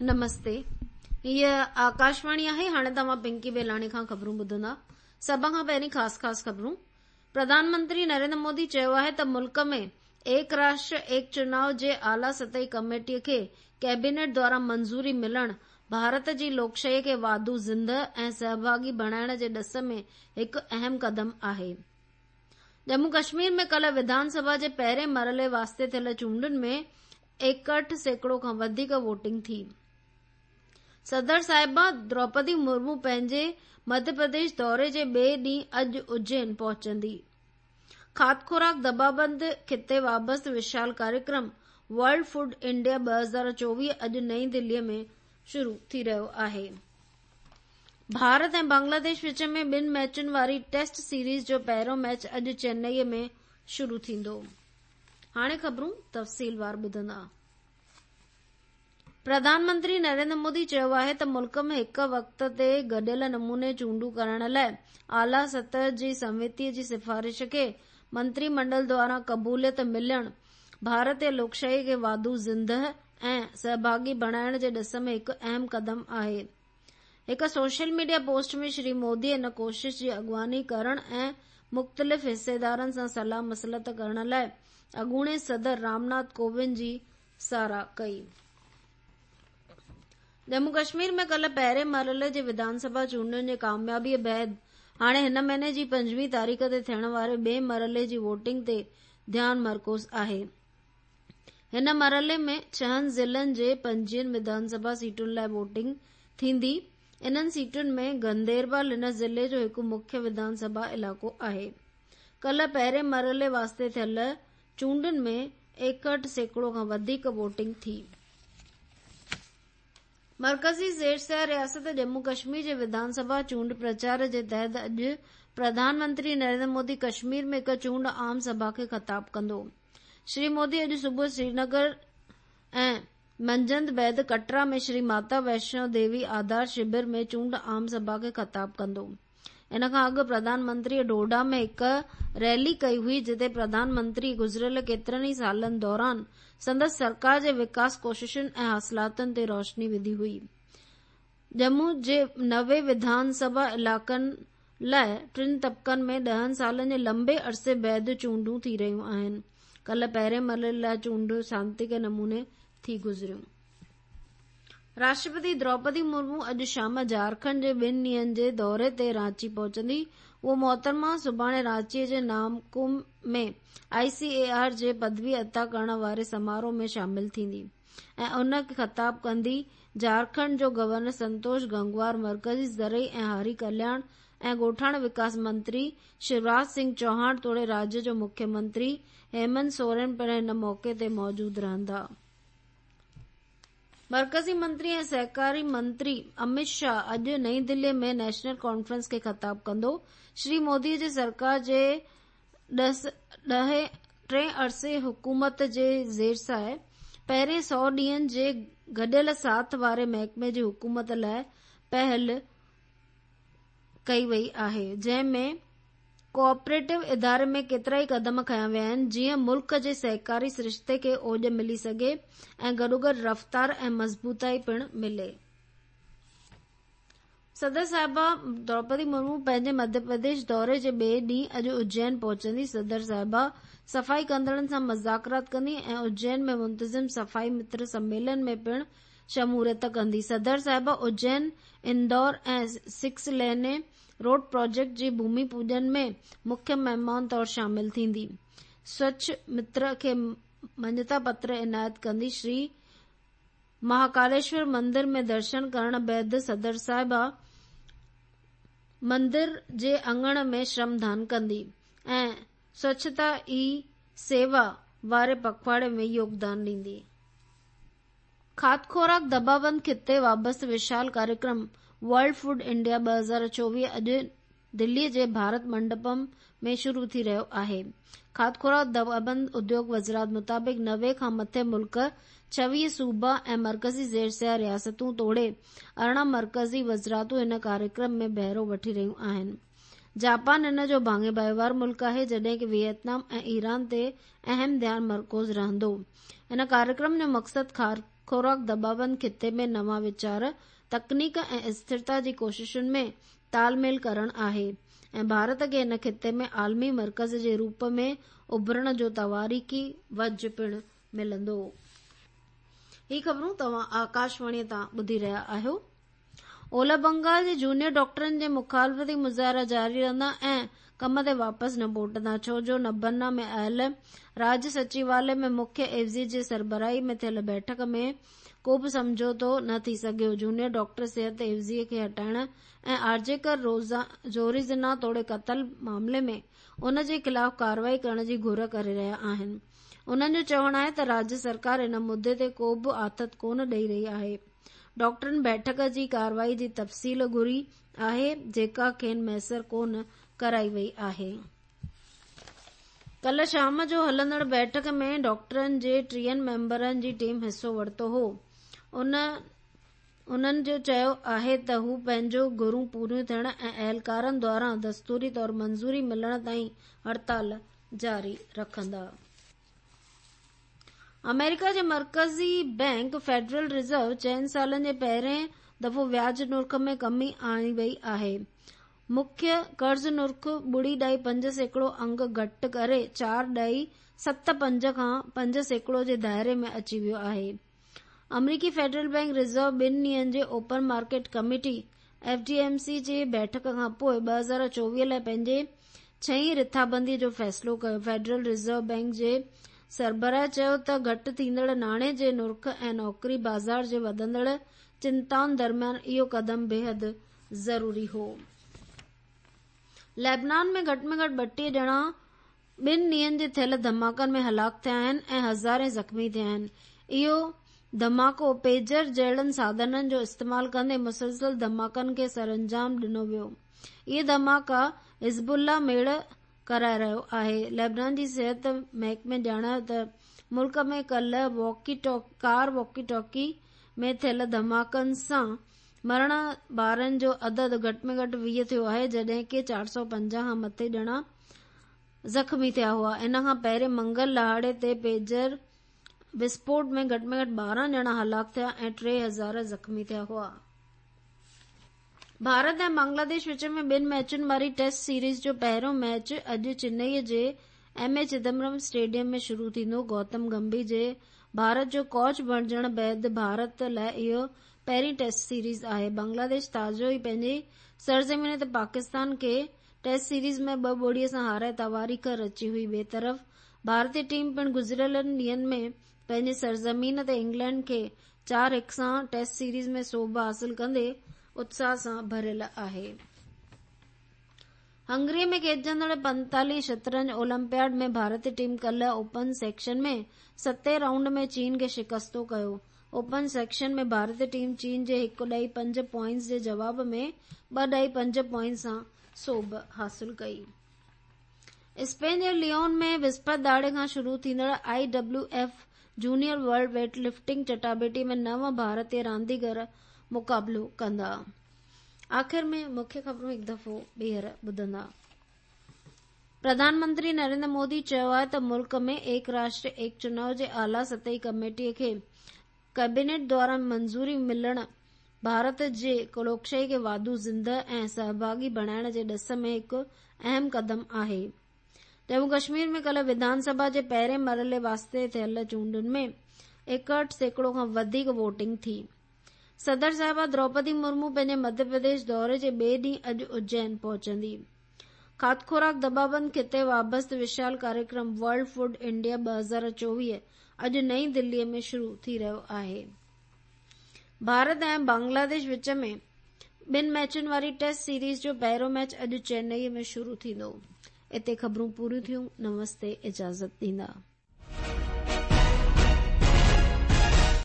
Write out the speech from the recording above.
نمستي هيء آڪاشواڻي آهي هاڻي توهان پنڪي بيلاڻي کان خبرون ٻڌندا سڀ کان پهرين خاص خاص خبرون پرڌان منتري نريندر مودي چيو آهي ته ملڪ ۾ ايڪ راشٽر ايڪ چناء جي اعليٰ سطحي ڪميٽي کي ڪيبينيٽ دواران منظوري ملڻ ڀارت جي لوڪشاهي کي واڌو زندهه ۽ سهڀاڳي بڻائڻ جي ڏس ۾ هڪ اهم قدم آهي. ڄمون ڪشمير ۾ ڪلهه وڌان سڀا جي پهرين مرحلي واسطي ٿيل چونڊن ۾ 61% کان وڌيڪ ووٽنگ ٿي. صدر صاحبه دروپدي مرمو پنهنجي مڌيه پرديش دوري جي ٻئي ڏينهن اڄ اجين پهچندي. کاڌ خوراڪ دٻابند خطي وابسته وشال ڪاريڪرم ورلڊ فوڊ انڊيا 2024 اڄ نئين دهلي ۾ شروع ٿي رهيو آهي. ڀارت ۽ بنگلاديش وچ ۾ ٻن ميچن واري ٽيسٽ سيريز جو پهريون ميچ اڄ چنائي ۾ شروع ٿيندو. هاڻي خبرون تفصيلوار ٻڌندا. پرڌان منتري نريندر مودي چيو آهي ته ملڪ ۾ هڪ وقت تي گڏيل نموني چونڊون ڪرائڻ لاء اعليٰ سطح جي سميتي جي سفارش کي منتري منڊل دواران قبوليت ملڻ ڀارتي لوڪشاهي کي واڌو زندهه ۽ سهڀاڳي بڻائڻ جي ڏس ۾ هڪ اهم قدم آهي. هڪ social media post ۾ Shri Modi ان ڪوشش جي اڳواڻي ڪرڻ ۽ مختلف حصيدارن سان صلاح مصلحت ڪرڻ لاء اڳوڻي صدر رام ناٿ ڪووند جي ساراهه ڪئي. ڄمون ڪشمير ۾ ڪلهه پهرين مرحلي جي وڌان سڀا چونڊن جي ڪاميابي بعد هاڻي هن مهيني جي 25 تاريخ تي ٿيڻ واري ٻئي مرحلي جي ووٽنگ تي ڌيان مرڪوز آهي. هن مرحلي ۾ ڇهن ضلعن جي 25 وڌان سڀا سيٽن لاء ووٽنگ ٿيندي. انهن سيٽن ۾ گنديربال هن ضلعي جو هڪ مکيه وڌان سڀا علائقو آهي. ڪلهه پهرين مرحلي واسطي ٿيل چونڊن ۾ 61% کان وڌيڪ ووٽنگ ٿي. مرڪزي زير سايه رياست ڄمون ڪشمير جي وڌان سڀا چونڊ پرچار جي تحت اڄ پرڌان منتري نريندر مودي ڪشمير ۾ هڪ چونڊ عام سڀا کي خطاب ڪندو. شري مودي اڄ صبح سرينگر ۽ منجهند بعد ڪٽرا ۾ شري ماتا ويشنو ديوي آڌار شبر ۾ چونڊ عام سڀا کي خطاب ڪندو. ان کان اڳ پرڌان منتريء ڊوڊا ۾ هڪ ريلي ڪئي هئي جتي پرڌان منتري گذريل ڪيترن ئي سالن دوران سندس سرڪار جي وڪاس ڪوششن ۽ حاصلاتن تي روشني وڌي هئي. ڄمون جي 90 وڌان سڀا علائقن لاء ٽن طبقن ۾ ڏهن سالن جي لنبي عرصي بعد چونڊون ٿي رهيون آهن. ڪلهه پهرين مرحلي لاء چونڊون سانتيڪي نموني ٿي گذريون. راشٽرپتي دروپدي مرمو اڄ شام جهارکنڊ جي ٻن ڏينهن جي دوري تي رانچي پهچندي. اهو محترمه سڀاڻي رانچي جي نامڪوم ۾ آء سي اي آر جي پدوي عطا ڪرڻ واري سماروهه ۾ شامل ٿيندي ۽ ان کي خطاب ڪندي. جهارکنڊ جو گورنر سنتوش گنگوار، مرڪزي زرعي ۽ هاري ڪلياڻ ۽ ڳوٺاڻي وڪاس منتري شيوراج سنگهه چوهاڻ توڙي راجيه جو مکيه منتري هيمنت سورين پڻ هن موقعي تي موجود رهندا. مرڪزي منتري ۽ سهڪاري منتري امت شاهه اڄ نئين دهلي ۾ نيشنل ڪانفرنس کي خطاب ڪندو. شري مودي جي سرڪار جي ڏهين ٽئين عرصي حڪومت جي زيرسايه پهرين سئو ڏينهن جي گڏيل ساٿ واري محڪمي جي حڪومت لاء پهل ڪئي وئي آهي جنهن ۾ ڪوآپريٽو اداري ۾ ڪيترائي قدم کنيا ويا آهن جيئن ملڪ جي سهڪاري سرشتي کي اوڄ ملي سگهي ۽ گڏوگڏ رفتار ۽ مضبوطائي پڻ ملي. صدر صاحبه دروپدي مرمو پنهنجي مڌيه پرديش دوري جي ٻئي ڏينهن اڄ اجين پهچندي. صدر صاحبه صفائي ڪندڙن سان مذاڪرات ڪندي ۽ اجين ۾ منتظم صفائي متر سميلن ۾ پڻ شموليت ڪندي. صدر صاحبه Ujjain, Indore ۽ six lane road project جي ڀومي پوڄن ۾ مکيه مهمان طور شامل ٿيندي. سوڇ متر کي مڃتا پتر عنايت ڪندي. شري مهاڪاليشور مندر ۾ درشن ڪرڻ بعد صدر صاحبه مندر جي اڱڻ ۾ شرم دان ڪندي ۽ سوڇتا ئي سيوا واري پکواڙي ۾ يوگدان ڏيندي. کاڌ خوراڪ دٻابند خطي وابسته وشال ڪاريڪرم ورلڊ فوڊ انڊيا 2024 اڄ دهلي جي ڀارت منڊپم ۾ شروع ٿي رهيو آهي. کاڌ خوراڪ دٻابند اديوگ وزارت مطابق 90 کان مٿي ملڪ، 26 صوبا ۽ مرڪزي زير سايه رياستون توڙي 18 مرڪزي وزارتون هن ڪاريڪرم ۾ بهرو وٺي رهيون آهن. جاپان ان جو ڀاڱي ڀائيوار ملڪ آهي جڏهن ڪه ويتنام ۽ ايران تي اهم ڌيان مرڪوز رهندو. ان ڪاريڪرم جو مقصد خوراڪ دٻابند خطي ۾ نوان ويچار، تڪنيڪ ۽ اسٿرتا جي ڪوششن ۾ تال ميل ڪرڻ آهي ۽ ڀارت کي هن خطي ۾ عالمي مرڪز جي روپ ۾ اڀرڻ جو تواريخي وجهه پڻ ملندو. هي خبرون توهان آڪاشواڻي تان ٻڌي رهيا آهيو. اولهه بنگال جي جونيئر ڊاڪٽرن جي مخالفتي مظاهرا جاري رهندا ۽ ڪم تي واپس نه موٽندا ڇو جو نبنا ۾ آيل راڄ سچيوالي ۾ مکيه عيوضي جي سربراهي ۾ ٿيل بيٺڪ ۾ ڪو به سمجهوتو نه ٿي سگهيو. جونيئر ڊاڪٽر صحت عيوضي کي هٽائڻ ۽ آرجيڪر زوري زنا توڙي قتل معاملي ۾ ان جي خلاف ڪارروائي ڪرڻ جي گهر ڪري رهيا آهن. انهن جو چوڻ آهي ته راڄ سرڪار ان مدي تي ڪو به آٿت ڪونه ڏئي رهي آهي. ڊاڪٽرن بيٺڪ جي ڪارروائي جي تفصيل گهري آهي جيڪا کين ميسر ڪونه ڪرائي وئي آهي. ڪلهه شام جو هلندڙ بيٺڪ ۾ ڊاڪٽرن جي 30 ميمبرن جي ٽيم حصو ورتو هو. انهن جو چيو آهي ته هو پنهنجون گهرون پوريون ٿيڻ ۽ اهلڪارن دواران دستوري طور منظوري ملڻ تائين هڙتال جاري رکندا. آمريڪا جي مرڪزي بئنڪ فيڊرل ريزرو چئن سالن جي پهرين دفعو وياج نرخ ۾ ڪمي آڻي وئي آهي. مکيه قرض نرخ 0.5% انگ گهٽ ڪري 4.75 کان 5% جي دائري ۾ اچي ويو آهي. آمريڪي فيڊرل بئنڪ ريزرو ٻن ڏينهن جي open market committee F D M C جي بيٺڪ کان پوء 2024 لاء پنهنجي ڇهين رٿابندي جو فيصلو ڪيو. فيڊرل ريزرو بئنڪ جي سربراهه چيو ته گهٽ ٿيندڙ ناڻي جي نرخ ۽ نوڪري بازار جي وڌندڙ چنتائن درميان اهو قدم بيحد ضروري هو. ليبنان ۾ گهٽ ۾ گهٽ 32 ڄڻا ٻن ڏينهن جي ٿيل ڌماڪن ۾ هلاڪ ٿيا آهن ۽ هزارين زخمي ٿيا آهن. اهو ڌماڪو پيجر جهڙن ساڌنن جو استعمال ڪندي مسلسل ڌماڪن کي سرانجام ڏنو ويو. اهي ڌماڪا حزب الله ميڙ ڪرائي رهيو آهي. ليبنان جي صحت محڪمي ڄاڻايو ته ملڪ ۾ ڪلهه ڪار واڪي ٽاڪي ۾ ٿيل ڌماڪن سان مرڻ وارن جو عدد گهٽ ۾ گهٽ 20 ٿيو آهي جڏهن ڪي 450 کان مٿي ڄڻا زخمي ٿيا هئا. ان کان پهرين منگل ڏهاڙي تي پيجر وسفوٽ ۾ گهٽ ۾ گهٽ 12 ڄڻا هلاڪ ٿيا ۽ 3000 زخمي ٿيا هئا. ڀارت ۽ بنگلاديش وچ ۾ ٻن ميچن واري ٽيسٽ سيريز جو پهريون ميچ اڄ چنئي جي ايم اي چدمبرم اسٽيڊيم ۾ شروع ٿيندو. گوتم گمڀير جي ڀارت جو ڪوچ بڻجڻ بعد ڀارت لاء اهو پهرين ٽيسٽ سيريز آهي. بنگلاديش تازو ئي پنهنجي سرزمين تي پاڪستان کي ٽيسٽ سيريز ۾ 2-0 سان هارائي تواريخ رچي هئي. ٻئي طرف ڀارتي ٽيم پڻ گذريل ڏينهن ۾ پنهنجي سرزمين تي انگلينڊ کي 4-1 سان ٽيسٽ سيريز ۾ سوڀ حاصل ڪندي اتساهه سان ڀريل آهي. هنگري ۾ کيڏجندڙ 45 شطرنج اولمپياڊ ۾ ڀارتي ٽيم ڪلهه اوپن سيڪشن ۾ ستين رائونڊ ۾ چين کي شڪستو ڪيو. اوپن سيڪشن ۾ ڀارتي ٽيم چين جي 1.5 پوائنٽس جي جواب ۾ 2.5 پوائنٽس سان سوڀ حاصل ڪئي. اسپين جي ليون ۾ وسپت ڏهاڙي کان شروع ٿيندڙ I W F junior world weight lifting چٽاڀيٽي ۾ نو ڀارتي رانديگر مقابلو ڪندا. آخر ۾ مکيه خبرون هڪ دفعو ٻيهر ٻڌندا. پرڌان منتري نريندر مودي چيو آهي ته ملڪ ۾ ايڪ راشٽر ايڪ چناء جي اعليٰ سطحي ڪميٽي کي ڪئبينيٽ دواران منظوري ملڻ ڀارت جي لوڪشاهي کي واڌو زنده ۽ سهڀاڳي بڻائڻ جي ڏس ۾ هڪ اهم قدم آهي. ڄمون ڪشمير ۾ ڪلهه وڌان سڀا جي پهرين مرحلي واسطي ٿيل چونڊن ۾ 61% کان وڌيڪ ووٽنگ ٿي. صدر صاحبه دروپدي مرمو پنهنجي مڌيه پرديش دوري جي ٻئي ڏينهن اڄ اجين پهچندي. کاڌ خوراڪ دٻابند خطي وابسته وشال ڪاريڪرم ورلڊ فوڊ انڊيا 2024 اڄ نئين دلي ۾ شروع ٿي رهيو آهي. ڀارت ۽ بنگلاديش وچ ۾ ٻن ميچن واري ٽيسٽ سيريز جو پهريون ميچ اڄ چنئي ۾ شروع ٿيندو. اتي خبرون پوريون ٿيون. نمستي اجازت ڏيندا.